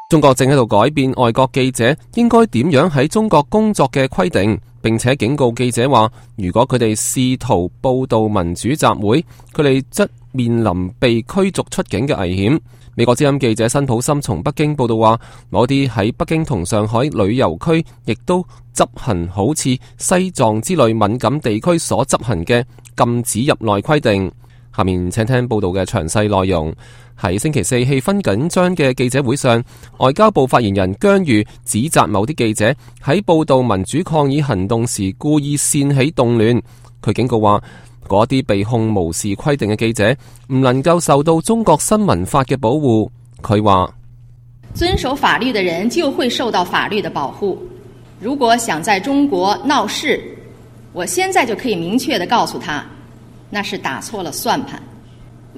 中國正喺度改變外國記者應該點樣喺中國工作嘅規定，並且警告記者話，如果佢哋試圖報道民主集會，佢哋則面臨被驅逐出境嘅危險。美國之音記者辛普森從北京報道話，某啲喺北京同上海旅遊區亦都執行好似西藏之類敏感地區所執行嘅禁止入內規定。下面請聽報道嘅詳細內容。喺星期四氣氛緊張嘅記者會上，外交部發言人姜裕指責某啲記者喺報道民主抗議行動時故意煽起動亂。佢警告話，嗰啲被控無視規定嘅記者唔能夠受到中國新聞法嘅保護。佢話，遵守法律的人就會受到法律的保護。如果想在中國鬧事，我現在就可以明確地告訴他，那是打錯了算盤。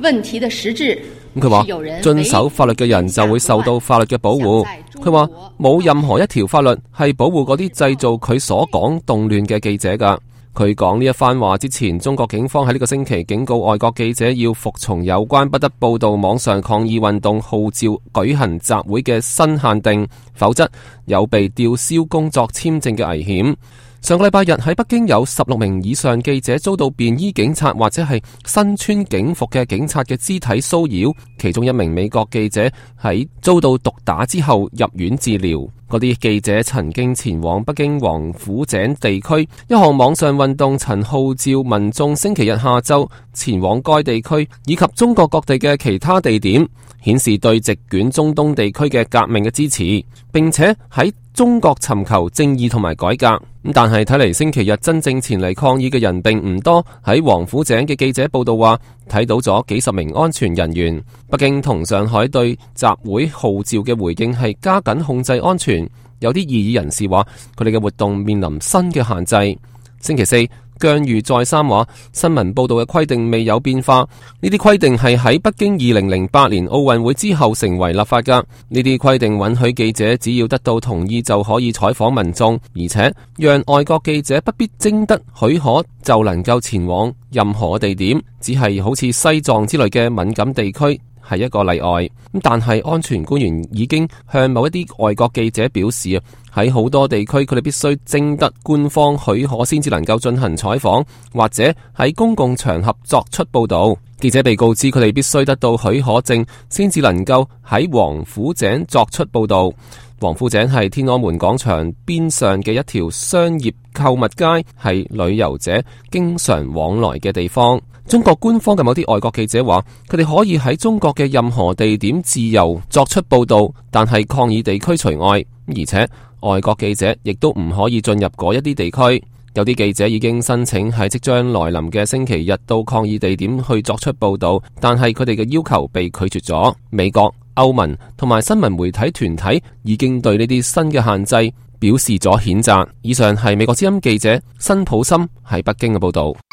問題的實質，佢話遵守法律嘅人就會受到法律嘅保護。佢話冇任何一條法律係保護嗰啲製造佢所講動亂嘅記者㗎。佢講呢一番話之前，中國警方喺呢個星期警告外國記者要服從有關不得報道網上抗議運動號召舉行集會嘅新限定，否則有被吊銷工作簽證嘅危險。上個禮拜日喺北京有16名以上記者遭到便衣警察或者係身穿警服嘅警察嘅肢體騷擾，其中一名美國記者喺遭到毒打之後入院治療。嗰啲記者曾經前往北京王府井地區，一項網上運動曾號召民眾星期日下晝前往該地區以及中國各地嘅其他地點，顯示對席捲中東地區嘅革命嘅支持，並且喺中國尋求正義同埋改革。但係睇嚟星期日真正前嚟抗議嘅人並唔多。喺王府井嘅記者報道話，睇到咗幾十名安全人員。北京同上海對集會號召嘅回應係加緊控制安全。有啲異議人士話，佢哋嘅活動面臨新嘅限制。星期四，姜裕再三話，新聞報道嘅規定未有變化。呢啲規定係喺北京2008年奧運會之後成為立法㗎。呢啲規定允許記者只要得到同意就可以採訪民眾，而且讓外國記者不必徵得許可就能夠前往任何地點，只係好似西藏之類嘅敏感地區係一個例外。但係安全官員已經向某一啲外國記者表示，喺好多地區佢哋必須徵得官方許可先至能夠進行採訪，或者喺公共場合作出報道。記者被告知佢哋必須得到許可證先至能夠喺王府井作出報道。王府井係天安門廣場邊上嘅一條商業購物街，係旅遊者經常往來嘅地方。中國官方嘅某啲外國記者話，佢哋可以喺中國嘅任何地點自由作出報道，但係抗議地區除外，而且外國記者亦都唔可以進入嗰一啲地區。有啲記者已經申請喺即將來臨嘅星期日到抗議地點去作出報道，但係佢哋嘅要求被拒絕咗。美國、歐盟同埋新聞媒體團體已經對呢啲新嘅限制表示咗譴責。以上係美國之音記者辛普森喺北京嘅報道。